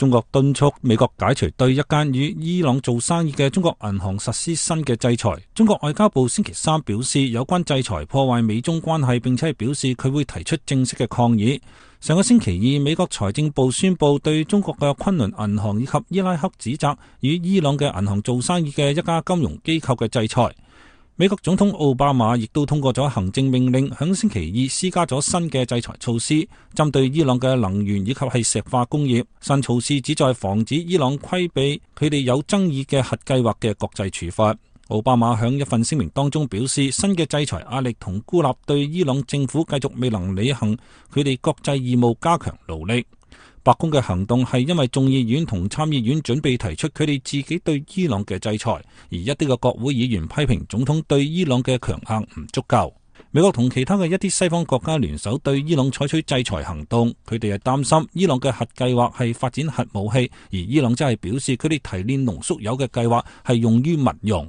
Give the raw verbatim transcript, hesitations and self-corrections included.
中國敦促美國解除對一間與伊朗做生意嘅中國銀行實施新嘅制裁。中國外交部星期三表示，有關制裁破壞美中關係，並且係表示佢會提出正式嘅抗議。上個星期二，美國財政部宣布對中國嘅昆侖銀行以及伊拉克指責與伊朗嘅銀行做生意嘅一家金融機構嘅制裁。美國總統奧巴馬亦都通過咗行政命令，響星期二施加咗新嘅制裁措施，針對伊朗嘅能源以及係石化工業。新措施旨在防止伊朗規避佢哋有爭議嘅核計劃嘅國際處罰。奧巴馬響一份聲明當中表示，新嘅制裁壓力同孤立對伊朗政府繼續未能履行佢哋國際義務加強努力。白宮嘅行動係因為眾議院同參議院準備提出佢哋自己對伊朗嘅制裁，而一啲嘅國會議員批評總統對伊朗嘅強硬唔足夠。美國同其他嘅一啲西方國家聯手對伊朗採取制裁行動，佢哋係擔心伊朗嘅核計劃係發展核武器，而伊朗則係表示佢哋提煉濃縮鈾嘅計劃係用於民用。